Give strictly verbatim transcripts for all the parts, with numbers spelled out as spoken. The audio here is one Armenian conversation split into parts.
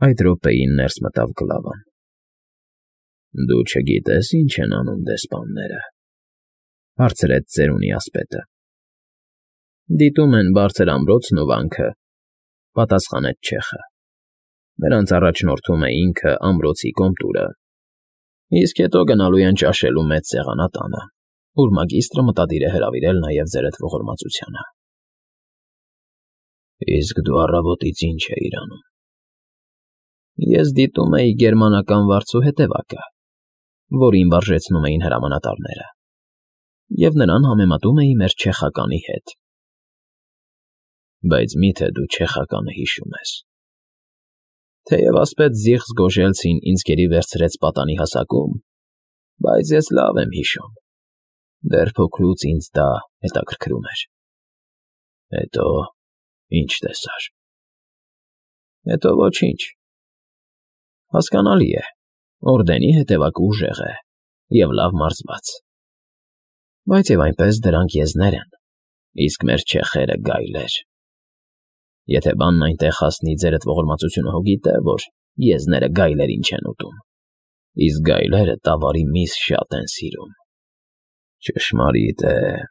Այդ րոպեին ներս մտավ Գլավան։ ֊ Դու չգիտե՞ս ինչ են անում դեսպանները,֊ հարցրեց ծերունի ասպետը։ ֊ Դիտում են բարձր ամրոցն ու վանքը,֊ պատասխանեց չեխը։ ֊ Նրանց առաջնորդում է ինքը ամրոցի կոմտուրը, իսկ հետո գնալու են ճաշելու մեծ սեղանատանը, ուր մագիստրը մտադիր է հրավիրել նաև ձերդ ողորմածությանը։ ֊ Իսկ դու առավոտից ի՞նչ էիր անում։ ֊ Ես դիտում էի գերմանական վարձու հետևակը, որին վարժեցնում էին հրամանատարները, և նրան համեմատում էի մեր չեխականի հետ։ ֊ Բայց մի՞թե դու չեխականը հիշում ես։ ֊ Թեև ասպետ Զիգֆրիդ Զգոժելցին ինձ գերի վերցրեց պատանի հասակում, բայց ես լավ եմ հիշում. դեռ փոքրուց ինձ դա հետաքրքրում էր։ ֊ Հետո ի՞նչ տեսար։ ֊ Հետո ոչինչ։ Հասկանալի է, օրդենի հետևակը ուժեղ է և լավ մարզված, բայց և այնպես դրանք եզներ են, իսկ մեր չեխերը՝ գայլեր։ Եթե բանն այնտեղ հասնի, ձերդ ողորմածությունը հո գիտե, որ եզները գայլերին չեն ուտում, իսկ գայլերը տավարի միս շատ են սիրում։ ֊ Ճշմարիտ է,֊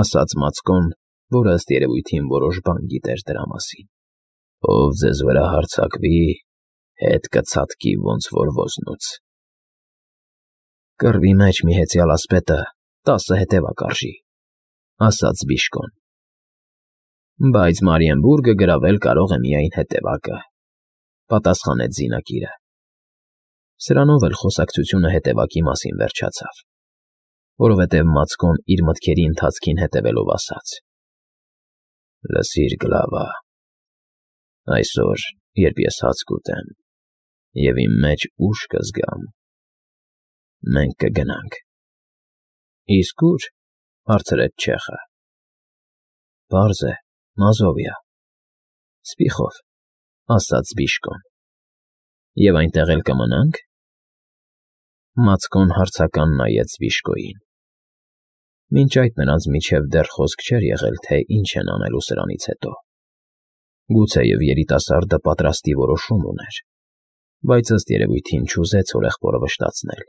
ասաց Մացկոն, որը, ըստ երևույթին, որոշ բան գիտեր դրա մասին։ ֊ Ով ձեզ վրա հարձակվի, հետ կցատկի ոնց որ ոզնուց։ ֊ Կռվի մեջ մի հեծյալ ասպետը տասը հետևակ արժի,֊ ասաց Բիժկոն։ ֊ Բայց Մարիենբուրգը գրավել կարող է միայն հետևակը,֊ պատասխանեց զինակիրը։ Սրանով էլ խոսակցությունը հետևակի մասին վերջացավ, որովհետև Մացկոն իր մտքերի ընթացքին հետևելով ասաց. «Լսիր, Գլավա, այսօր, երբ ես հաց կուտեմ և իմ մեջ ուժ կզգամ, մենք կգնանք»։ ֊ Իսկ ո՞ւր,֊ հարցրեց չեխը։ ֊ Պարզ է, Մազովիա, Սպիխով,֊ ասաց Բիժկոն։ ֊ Եվ այնտեղ էլ կմնա՞նք։ Մացկոն հարցական նայեց Բիժկոյին։ Մինչ այդ նրանց միջև դեռ խոսք չէր եղել, թե ինչ են անելու սրանից հետո։ Գուցեև երիտասարդը պատրաստի որոշում ուներ, բայց ըստ երևույթին չուզեց հորեղբորը վշտացնել,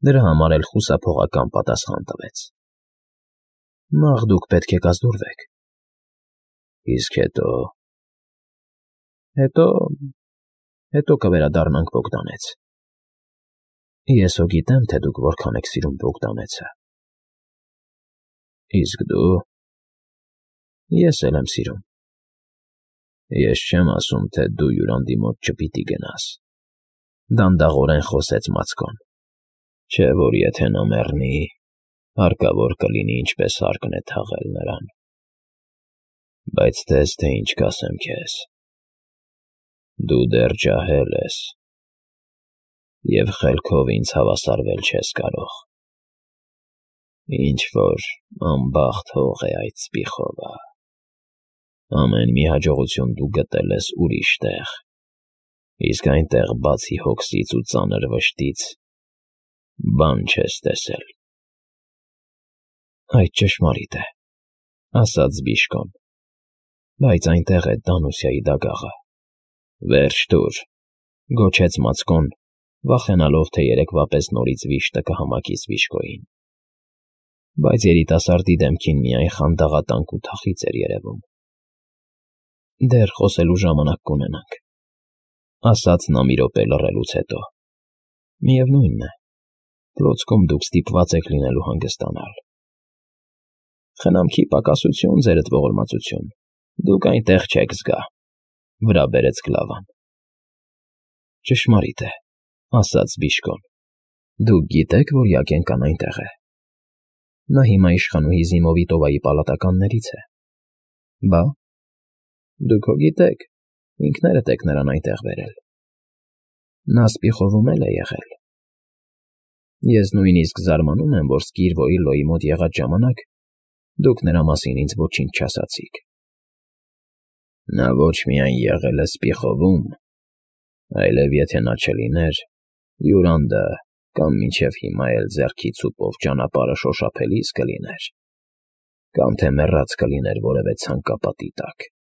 դրա համար էլ խուսափողական պատասխան տվեց. ֊ Նախ դուք պետք է կազդուրվեք։ ֊ Իսկ հետո… հետո… հետո կվերադառնանք Բոգդանեց։ Ես հո գիտեմ, թե դուք որքան եք սիրում Բոգդանեցը։ ֊ Իսկ դու… Ես էլ եմ սիրում։ ֊ Ես չեմ ասում, թե դու հյուրանդի մոտ չպիտի գնաս,֊ դանդաղորեն խոսեց Մացկոն,֊ չէ որ եթե նա մեռնի, հարկավոր կլինի ինչպես հարկն է թաղել նրան։ Բայց տես, թե ինչ կասեմ քեզ. դու դեռ ջահել ես և խելքով ինձ հավասարվել չես կարող։ Ինչ֊որ անբախտ հող է այդ Սպիխովը։ Ամեն մի հաջողություն դու գտել ես ուրիշ տեղ, իսկ այնտեղ, բացի հոգսից ու ծանր վշտից, բան չես տեսել։ ֊ Այդ ճշմարիտ է,֊ ասաց Բիժկոն,֊ բայց այնտեղ է Դանուսիայի դագաղը։ ֊ Վերջ տուր,֊ գոչեց Մացկոն, վախենալով, թե երեկվա պես նորից վիշտը կհամակի Բիժկոյին։ Բայց երիտասարդի դեմքին միայն խանդաղատանք ու թախիծ էր երևում։ ֊ Դեռ խոսելու ժամանակ կունենանք,֊ ասաց նա մի րոպե լռելուց հետո։ ֊ Միևնույն է, պլոցքում դուք ստիպված եք լինելու հանգստանալ։ ֊ Խնամքի պակասություն, ձերդ ողորմածություն, դուք այնտեղ չեք զգա,֊ վրա բերեց Գլավան։ ֊ Ճշմարիտ է,֊ ասաց Բիժկոն,֊ դուք գիտեք, որ Յակենկան այնտեղ է։ Նա հիմա իշխանուհի Զիմովիտովայի պալատականներից է։ ֊ Բա՞։ Դուք հո գիտեք, ինքներդ եք նրան այնտեղ բերել։ Նա Սպիխովում էլ է եղել։ Ես նույնիսկ զարմանում եմ, որ Սկիրվոյի մոտ եղած ժամանակ դուք նրա մասին ինձ ոչինչ չասացիք։ ֊ Նա ոչ միայն եղել է Սպիխովում, այլև եթե նա չլիներ, Յուրանդը կամ մինչև հիմա էլ ձեռքի ցուպով ճանապարհը շոշափելիս կլիներ, կամ թե մեռած կլիներ որևէ ցանկապատի տակ։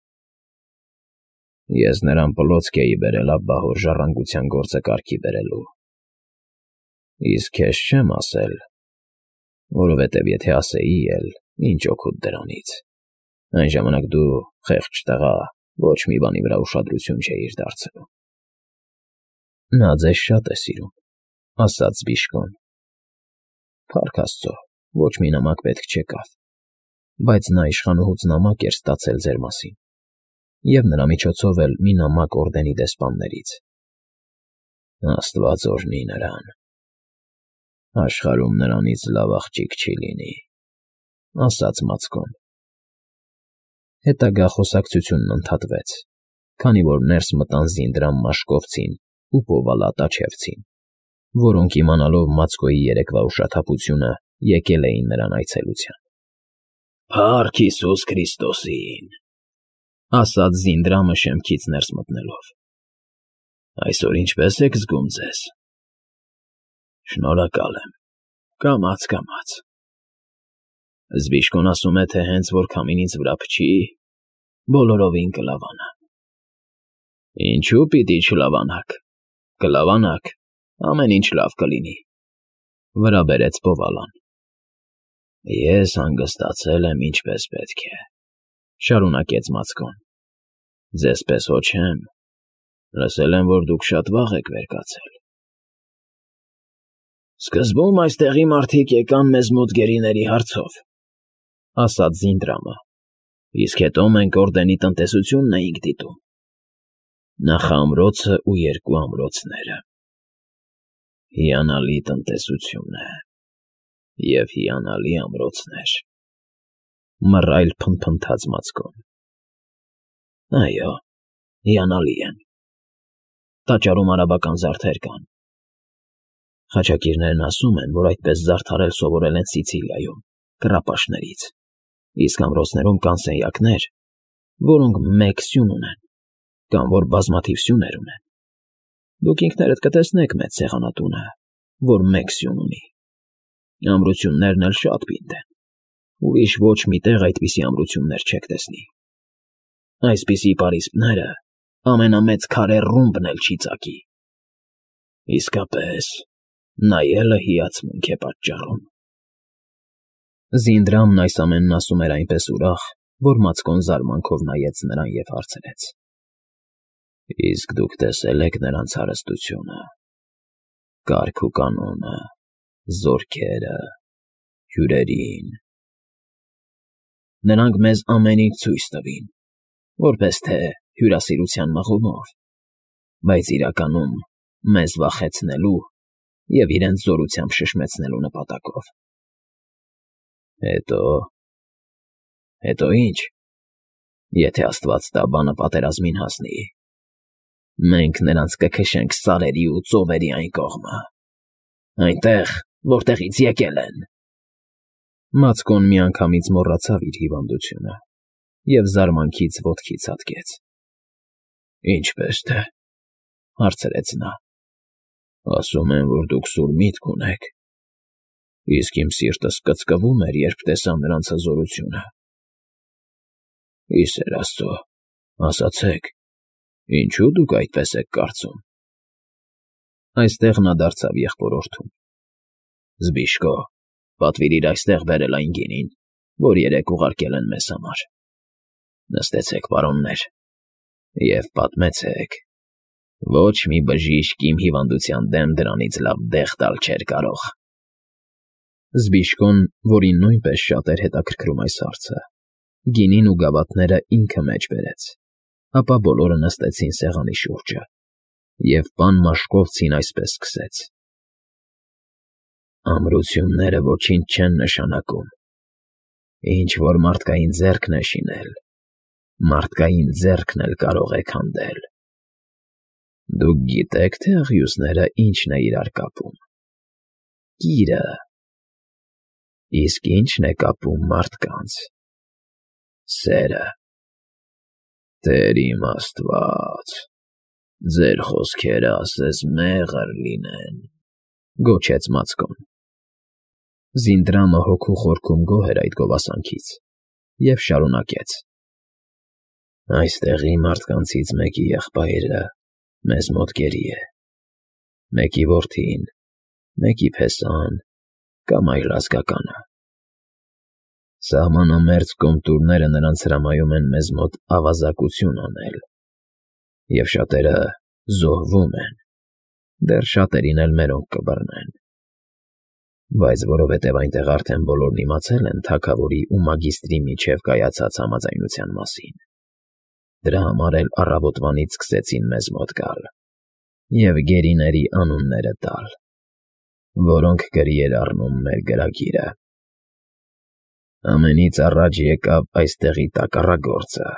Ես նրան պլոցք էի բերել Աբբահոր ժառանգության գործը կարգի բերելու։ Իսկ քեզ չեմ ասել, որովհետև եթե ասեի էլ, ինչ օգուտ դրանից, այն ժամանակ դու, խեղճ տղա, ոչ մի բանի վրա ուշադրություն չէիր դարձնում։ Նա ձեզ շատ է սիրում, ասաց Բիժկոն։ Փառք Աստծո, ոչ մի նամակ պետք չեկավ, բայց նա իշխանուհուց նամակ էր ստացել ձեր մասին, և նրա միջոցով էլ մի նամակ օրդենի դեսպաններից։ Աստված օրհնի նրան։ Աշխարհում նրանից լավ աղջիկ չի լինի, ասաց Մացկոն։ Հետագա խոսակցությունն ընդհատվեց, քանի որ ներս մտան Զինդրամ Մաշկովցին ու Պովալա Տաչևցին, որոնք իմանալով Մացկոյի երեկվա ուշաթափությունը եկել էին նրան այցելության։ Փառք Հիսուս Քրիստոսին, ասաց Զինդրամը շեմքից ներս մտնելով։ Այսօր ինչպե՞ս եք զգում ձեզ։ Շնորհակալ եմ, կամաց֊կամաց։ Զբիշկոն ասում է, թե հենց որ քամին ինձ վրա փչի, բոլորովին կլավանա։ Ինչու պիտի չլավանաք, կլավանաք, ամեն ինչ լավ կլինի, վրա բերեց Պովալան։ Ես հանգստացել եմ ինչպես պետք է, շարունակեց Մացկոն։ Ձեզ պես հո չեմ, լսել եմ, որ դուք շատ վաղ եք վեր կացել։ Սկզբում այստեղի մարդիկ եկան մեզ մոտ գերիների հարցով, ասաց Զինդրամը, իսկ հետո մենք օրդենի տնտեսությունն էինք դիտում, նախամրոցը ու երկու ամրոցները։ Հիանալի տնտեսություն է և հիանալի ամրոցներ, մռայլ փնթփնթաց Մացկոն։ Այո, հիանալի են։ Տաճարում արաբական զարդեր կան։ Խաչակիրներն ասում են, որ այդպես զարդարել սովորել են Սիցիլիայում, կռապաշտներից, իսկ ամրոցներում կան սենյակներ, որոնք մեկ սյուն ունեն, կամ որ բազմաթիվ սյուներ ունեն։ Դուք ինքներդ կտեսնեք մեծ սեղանատունը, որ մեկ սյուն ունի։ Ամրություններն էլ շատ պինդ են, ուրիշ ոչ մի տեղ այդպիսի ամրություններ չեք տեսնի։ Այսպիսի պարիսպները ամենամեծ քարե ռումբն էլ չի ծակի։ Իսկապես, նայելը հիացմունք է պատճառում։ Զինդրամն այս ամենն ասում էր այնպես ուրախ, որ Մացկոն զարմանքով նայեց նրան և հարցրեց. Իսկ դուք տեսել եք նրանց հարստությունը, կարգ ու կանոնը, զորքերը, հյուրերին։ Նրանք մեզ ամեն ինչ ցույց տվին, որպես թե հյուրասիրության մղումով, բայց իրականում մեզ վախեցնելու և իրենց զորությամբ շշմեցնելու նպատակով։ Հետո… հետո ի՞նչ, եթե Աստված տա բանը պատերազմին հասնի, մենք նրանց կքշենք սարերի ու ծովերի այն կողմը, այնտեղ, որտեղից եկել են։ Մացկոն միանգամից մոռացավ իր հիվանդությունը և զարմանքից ոտքի ցատկեց։ Ինչպե՞ս թե, հարցրեց նա։ Ասում են, որ դուք սուր միտք ունեք, իսկ իմ սիրտս կծկվում էր, երբ տեսա նրանց հզորությունը։ Ի սեր Աստծո, ասացեք, ինչո՞ւ դուք այդպես եք կարծում։ Այստեղ նա դարձավ եղբորորդուն։ Զբիշկո, պատվիրիր այստեղ բերել այն գինին, որ երեկ ուղարկել են մեզ համար։ Նստեցեք, պարոններ, և պատմեցեք։ Ոչ մի բժիշկ իմ հիվանդության դեմ դրանից լավ դեղ տալ չէր կարող։ Զբիշկոն, որին նույնպես շատ էր հետաքրքրում այս հարցը, գինին ու գավաթները ինքը մեջ բերեց, ապա բոլորը նստեցին սեղանի շուրջը, և պան Մաշկովցին այսպես սկսեց. Ամրությունները ոչինչ չեն նշանակում։ Ինչ որ մարդկային ձեռքն է շինել, մարդկային ձեռքն էլ կարող է քանդել։ Դուք գիտե՞ք, թե աղյուսները ինչն է իրար կապում։ Կիրը։ Իսկ ի՞նչն է կապում մարդկանց։ Սերը։ Տեր իմ Աստված, ձեր խոսքերը ասես մեղր լինեն, գոչեց Մացկոն։ Զինդրամը հոգու խորքում գոհ էր այդ գովասանքից և շարունակեց. Այստեղի մարդկանցից մեկի եղբայրը մեզ մոտ գերի է, մեկի որդին, մեկի փեսան կամ այլ ազգականը։ Սահմանամերձ կոմտուրները նրանց հրամայում են մեզ մոտ ավազակություն անել, և շատերը զոհվում են, դեռ շատերին էլ մերոնք կբռնեն։ Բայց որովհետև այնտեղ արդեն բոլորն իմացել են թագավորի ու մագիստրի միջև կայացած համաձայնության մասին, դրա համար էլ առավոտվանից սկսեցին մեզ մոտ գալ և գերիների անունները տալ, որոնք գրի էր առնում մեր գրագիրը։ Ամենից առաջ եկավ այստեղի տակառագործը,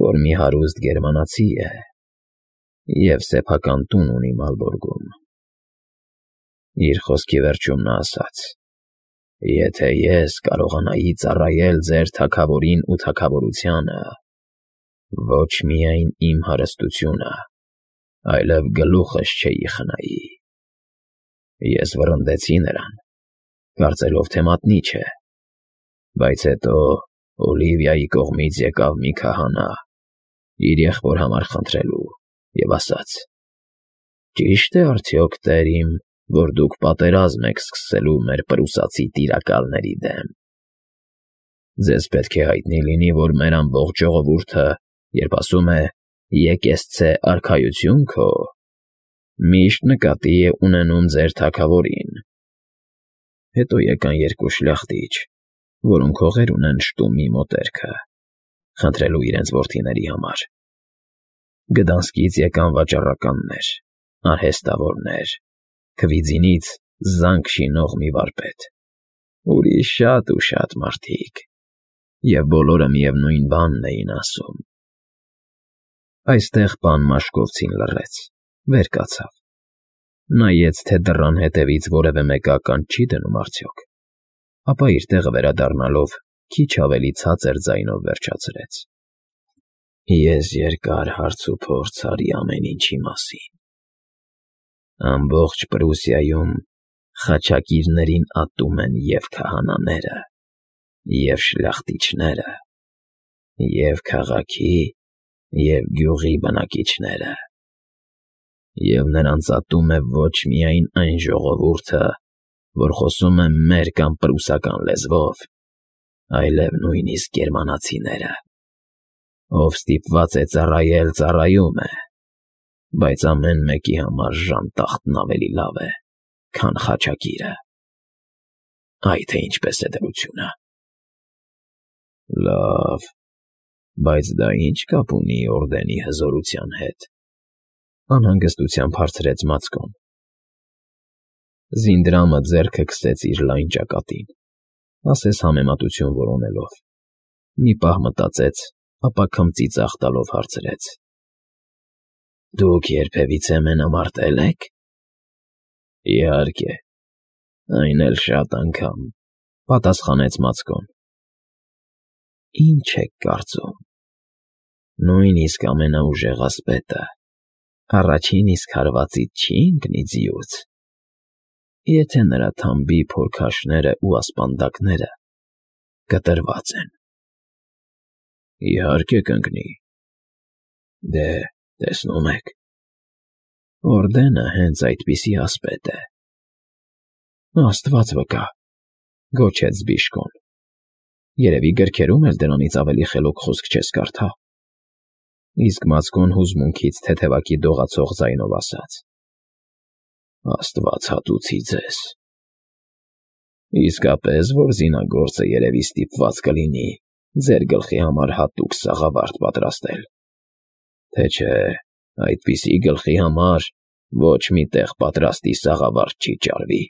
որ մի հարուստ գերմանացի է և սեփական տուն ունի Մալբորգում։ Իր խոսքի վերջում նա ասաց. «Եթե ես կարողանայի ծառայել ձեր թագավորին ու թագավորությանը, ոչ միայն իմ հարստությունը, այլև գլուխս չէի խնայի»։ Ես վռնդեցի նրան, կարծելով, թե մատնի չէ, բայց հետո Օլիվիայի կողմից եկավ մի քահանա իր եղբոր համար խնդրելու և ասաց. «Ճի՞շտ է արդյոք, տեր իմ, որ դուք պատերազմ եք սկսելու մեր պրուսացի տիրակալների դեմ։ Ձեզ պետք է հայտնի լինի, որ մեր ամբողջ ժողովուրդը, երբ ասում է «Եկեղեցե արքայություն քո», միշտ նկատի է ունենում ձեր թագավորին»։ Հետո եկան երկու շլախտիչ, որոնք հողեր ունեն Շտումի մոտերքը, խնդրելու իրենց որդիների համար։ Գդանսկից եկան վաճառականներ, արհեստավորներ, Քվիձինից զանք շինող մի վարպետ, ուրիշ շատ ու շատ մարդիկ, և բոլորը միևնույն բանն էին ասում։ Այստեղ պան Մաշկովցին լռեց, վեր կացավ, նայեց, թե դռան հետևից որևէ մեկը ականջ չի դնում արդյոք, ապա իր տեղը վերադառնալով քիչ ավելի ցածր ձայնով վերջացրեց. «Ես երկար հարց ու փորձ արի ամեն ինչի մասին։ Ամբողջ Պրուսիայում խաչակիրներին ատում են և քահանաները, և շլախտիչները, և քաղաքի, և գյուղի բնակիչները, և նրանց ատում է ոչ միայն այն ժողովուրդը, որ խոսում է մեր կամ պրուսական լեզվով, այլև նույնիսկ գերմանացիները։ Ով ստիպված է ծառայել, ծառայում է, բայց ամեն մեկի համար ժանտախտն ավելի լավ է, քան խաչակիրը։ Այ թե ինչպես է դրությունը»։ «Լավ, բայց դա ի՞նչ կապ ունի օրդենի հզորության հետ», անհանգստությամբ հարցրեց Մացկոն։ Զինդրամը ձեռքը քսեց իր լայն ճակատին, ասես համեմատություն որոնելով, մի պահ մտածեց, ապա քմծիծաղ տալով հարցրեց. «Դուք երբևիցե մենամարտե՞լ եք»։ «Իհարկե, այն էլ շատ անգամ», պատասխանեց Մացկոն։ «Ի՞նչ եք կարծում, նույնիսկ ամենաուժեղ ասպետը առաջին իսկ հարվածից չի՞ ընկնի ձիուց, եթե նրա թամբի փորքաշներն ու ասպանդակները կտրված են»։ «Իհարկե կընկնի։ Դե, տեսնում եք, օրդենը հենց այդպիսի ասպետ է»։ «Աստված վկա», գոչեց Զբիշկոն, «երևի գրքերում էլ դրանից ավելի խելոք խոսք չես կարդա»։ Իսկ Մացկոն հուզմունքից թեթևակի դողացող ձայնով ասաց. «Աստված հատուցի ձեզ։ Իսկապես, որ զինագործը երևի ստիպված կլինի ձեր գլխի համար հատուկ սաղավարտ պատրաստել, թե չէ այդպիսի գլխի համար ոչ մի տեղ պատրաստի սաղավարտ չի ճարվի»։